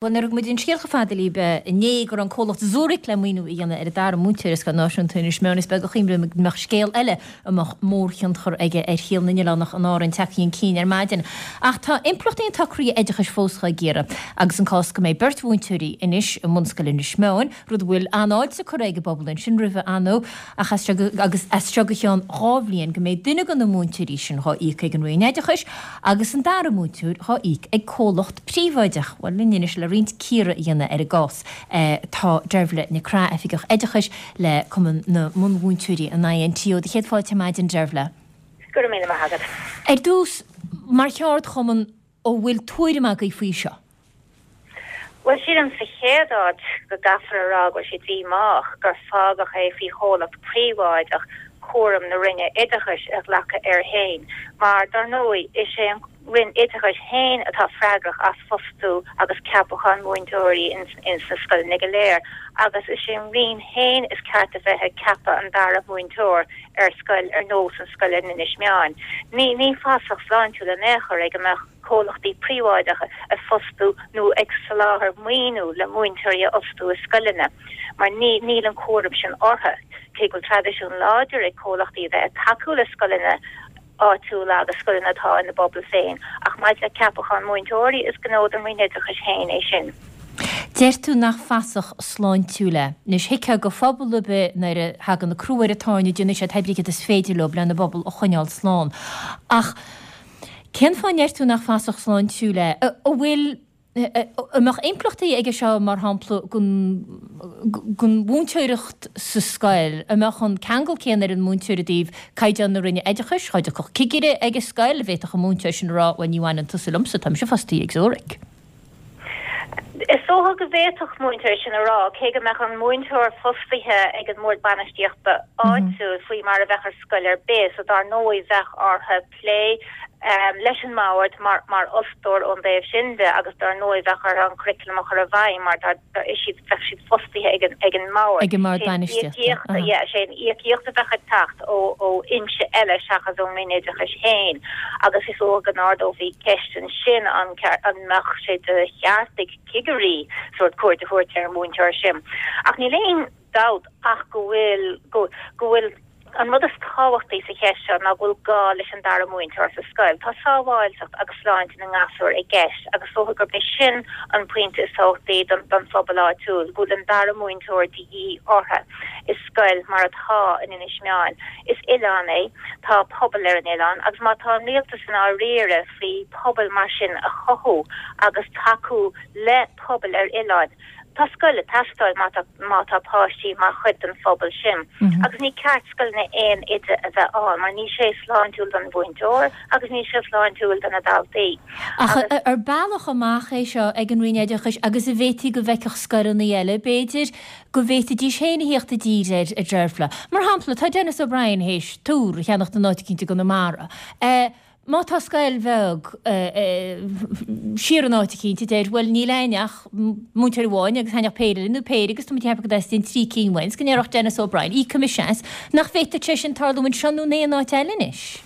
Bhuel, nuair a thug muid an scéal chomh fada libh inné go raibh an comhlacht Zurich le maoiniú a dhéanamh ar an dara múinteoir i Scoil Náisiúnta Inis Meáin, is beag a chuimhnigh muid go mbeadh scéal eile a mbeadh mórthionchar aige ar shaol na n-oileánach in Árainn tagtha chun cinn ar maidin. Ach tá impleachtaí an tsocraithe oideachais fós dhá gcíoradh agus an cás go mbeidh beirt mhúinteoirí anois i mbunscoil Inis Meáin, rud a bhfuil an-fháilte curtha ag an bpobal ansin roimhe, ar ndóigh, ach as seo go agus as seo go cheann dhá bhliain go mbeidh duine de na múinteoirí sin dhá íoc ag an Roinn Oideachais agus an dara múinteoir dhá íoc ag comhlacht príobháideach. Bhuel, linn anois le roinnt cíoradh a dhéanamh ar an gcás tá Deirbhile Nic Craith, Oifigeach Oideachais le Cumann na mBunmhúinteoirí, an INTO. Do chéad fáilte ar maidin, Deirbhile. Go raibh míle maith agat. Ar dtús, mar cheardchumann, an bhfuil tuairim agaibh faoi seo? Bhuel, sílim sa chéad áit go gcaithfear a rá go bhfuil sé díomách gur fágadh é faoi chomhlacht príobháideach cúram na Roinne Oideachais a ghlacadh air féin mar, dar ndóigh, is é an Roinn Oideachais féin atá freagrach as fostú agus ceapachán múinteoirí ins na scoileanna go léir agus is é an Roinn féin is ceart a bheith ag ceapadh an dara múinteoir ar scoil ar nós an scoil in Inis Meáin. Ní ní fasach sláintiúil in aon chor é go mbeadh comhlachtaí príobháideacha ag fostú nó ag soláthar maoiniú le múinteoirí a fhostú i scoileanna mar ní níl an cúram sin orthu. Cé go bhfuil traidisiún láidir ag comhlachtaí a bheith ag tacú le scoileanna áitiúla agus scoileanna atá ina bpobal féin, ach maidir le ceapachán múinteoirí, is gnó don Roinn Oideachais féin é sin. Deir tú nach fasach sláintiúil é. Anois, thuigfeá do phobal ar bith nuair a thagann crú ar an tairne, déanfaidh siad pé ar bith céard is féidir leo lena bpobal a choinneáil slán. Ach cén fáth a ndeir tú nach fasach sláintiúil é? An bhfuil. An mbeadh impleachtaí aige seo, mar shampla, don mhúinteoireacht sa scoil? An mbeadh an ceangal céanna ar an múinteoir i dtaobh caighdeán na Roinne Oideachais? Dá dtiocfadh cigire ag an scoil, an bhféadfadh an múinteoir sin a rá, bhuel, ní bhaineann tusa liomsa, tá mise fostaithe ag Zurich? Is dócha go bhféadfadh múinteoir sin a rá, cé go mbeadh an múinteoir fostaithe ag an mBord Bainistíochta áitiúil, faoi mar a bheadh ar scoil ar bith, so dar ndóigh bheadh orthu plé leis an mbord mar fhostóir ón dtaobh sin de agus dar ndóigh bheadh orthu an curriculum a chur i bhfeidhm mar dar siad bheadh siad fostaithe ag an ag an mbord. Ag an mbord bainistíochta. Yeah, sé an íocaíocht a bheadh ag teacht ó ó fhoinse eile seachas ón Roinn Oideachais féin agus is dócha go n-ardófaí ceist ansin an an mbeadh sé de cheart ag cigirí sórt cuairt a thabhairt ar an mhúinteoir sin. Ach níl aon dabht ach go bhfuil go go bhfuil An rud is tábhachtaí sa cheist seo ná go bhfuil gá leis an dara múinteoir sa scoil. Tá sábháilteacht agus sláinte na ngasúr i gceist agus is dócha gurb é sin an pointe is tábhachtaí don phobal áitiúil, go bhfuil an dara múinteoir de dhíth orthu i scoil mar atá in Inis Meáin. Is oileán é, tá pobal ar an oileán agus má tá an rialtas i ndáiríre faoi pobail mar sin a chothú agus tacú le pobail ar oileáin, Tá scoil ag teastáil má tá má tá páistí mar chuid den phobal sin. Agus ní ceart scoileanna aon oide a bheith ann mar níl sé sláintiúil don mhúinteoir agus níl sé sláintiúil do na daltaí. Ach ar bealach amach é seo ag an Roinn Oideachais agus an bhféadfaí go bhfeicfeadh scoileanna eile, b'fhéidir, go bhféadfaidís féin a thíocht i dtír air, a Deirbhle. Mar shampla, tá Denis O'Brien théis túr a cheannacht in áit eicínt i gConamara. Má tá scoil bheag siar in áit eicínt a deir, bhuel, níl a'inn ach múinteoir amháin agus chan ach péire eile nó péire agus tá muid ag ceapadh go dteastaíonn trí cinn uainn, 's go ndéarfadh Denis O'Brien, íocfaidh mise as, nach bhféadfadh sé sin tarlú anseo nó in aon áit eile anois?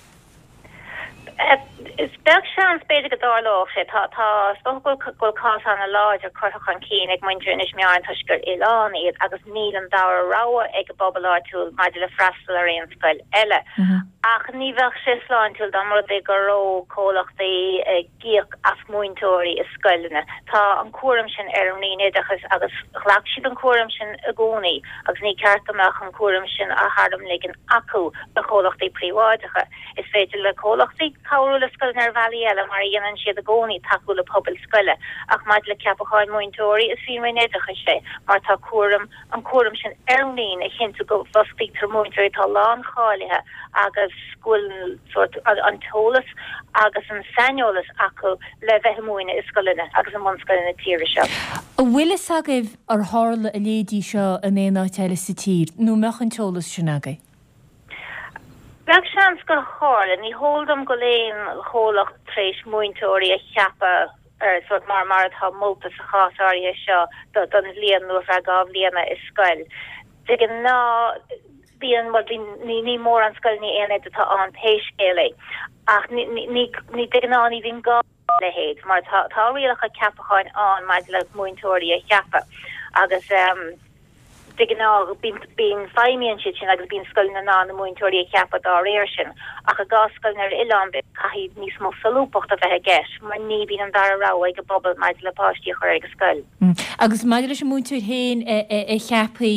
Is beag seans, b'fhéidir, go dtarlódh sé. Tá, tá, is dócha go bhfuil, go bhfuil cás an-láidir curtha chun cinn ag muintir Inis Meáin toisc gur oileán iad agus níl an dara rogha ag an bpobal áitiúil maidir le freastal ar aon scoil eile. Ach ní bheadh sé sláintiúil dá mba rud é go raibh comhlachtaí ag íoc as múinteoirí i scoileanna. Tá an cúram sin ar an Roinn Oideachais agus ghlac siad an cúram sin i gcónaí agus ní ceart go mbeadh an cúram sin á tharmligean acu do chomhlachtaí príobháideacha. Is féidir le comhlachtaí cabhrú le scoileanna ar bhealaí eile mar a dhéanann siad i gcónaí, tacú le pobail scoile. Ach maidir le ceapacháin múinteoirí, is faoin Roinn Oideachais é mar tá cúram an cúram sin ar an Roinn a chinntiú go bhfostaítear múinteoirí atá láncháilithe agus go bhfuil sórt an t-eolas agus an saineolas acu le bheith ag múineadh i scoileanna agus i mbunscoileanna na tíre seo. An bhfuil fhios agaibh ar tharla a leithéidí seo in aon áit eile sa tír, nó an mbeadh an t-eolas sin agaibh? Beag seans gur tharla. Ní heol dom go bhfuil aon chomhlacht tar éis múinteoirí a cheapadh ar sórt mar mar atá molta sa chás áirithe seo don bhliain nó ar feadh 2 bhliana i scoil. De ghnáth bíonn, bhuel bíonn, ní ní mórán scoileanna aon oide atá ann pé scéal é ach ní ní ní de ghnáth ní bhíonn gá. leithéid mar tá tá rialacha ceapacháin ann maidir le múinteoirí a cheapadh agus de ghnáth bíonn feidhmíonn siad sin agus bíonn scoileanna in ann na múinteoirí a cheapadh dá réir sin. Ach i gcás scoileanna ar oileán caithfidh níos mó solúbthachta a bheith i gceist mar ní bhíonn an dara rogha ag an bpobal maidir le páistí a chur ag an scoil. Agus maidir leis an múinteoir féin a cheapfaí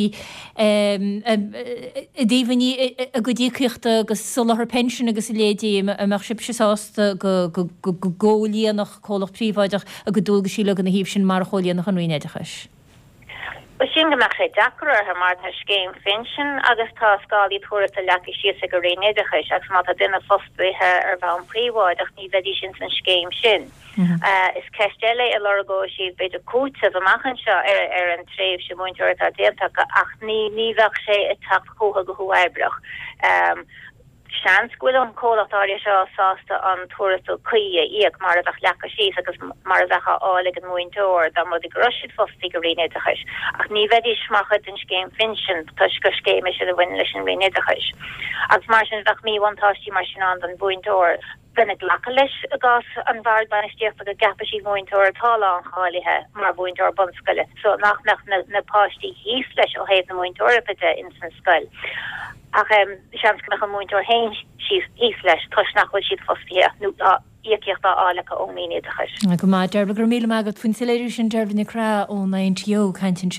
i dtaobh a gcuid íocaíochta agus soláthar pinsin agus a leithéidí, an mbeadh sibhse sásta go gcomhlíonfadh comhlacht príobháideach a gcuid dualgaisí uilig ina thaobh sin mar a chomhlíonfadh an Roinn Oideachais? Bhuel sin go mbeadh sé deacair orthu mar tá scéim phinsin agus tá scálaí tuarastail leagtha síos ag an Roinn Oideachais agus má tá duine fostaithe ar bhonn príobháideach ní bheidís ins an scéim sin. Is ceist eile é lorgóidh siad b'fhéidir cúiteamh amach anseo ar ar an tréimhse múinteoireachta atá déanta acu ach ní ní bheadh sé ag teacht chucu go huathoibríoch. Seans go bhfuil an comhlacht áirithe seo sásta an tuarastal cuí a íoc mar a bheadh leagtha síos agus mar a bheadh á fháil ag an múinteoir dá mba rud é go raibh siad fostaithe ag an Roinn Oideachais, ach ní bheidís mar chuid den scéim phinsin toisc gur scéim é sin a bhaineann leis an Roinn Oideachais. Agus mar sin bheadh míbhuntáistí mar sin ann don mhúinteoir. Bheinn ag glacadh leis i gcás an Bhoird Bainistíochta go gceapfaidh siad múinteoir atá láncháilithe mar mhúinteoir bunscoile so nach mbeadh na na páistí thíos leis ó thaobh na múinteoireachta de ins an scoil. Ach seans go mbeadh an múinteoir féin síos thíos leis toisc nach bhfuil siad fostaithe nó tá íocaíocht á fháil acu ón Roinn Oideachais. Go maith, Dearbhla, go raibh míle maith agat faoin soiléiriú sin, Dearbhla Nic Craith ón INTO ag caint ansin.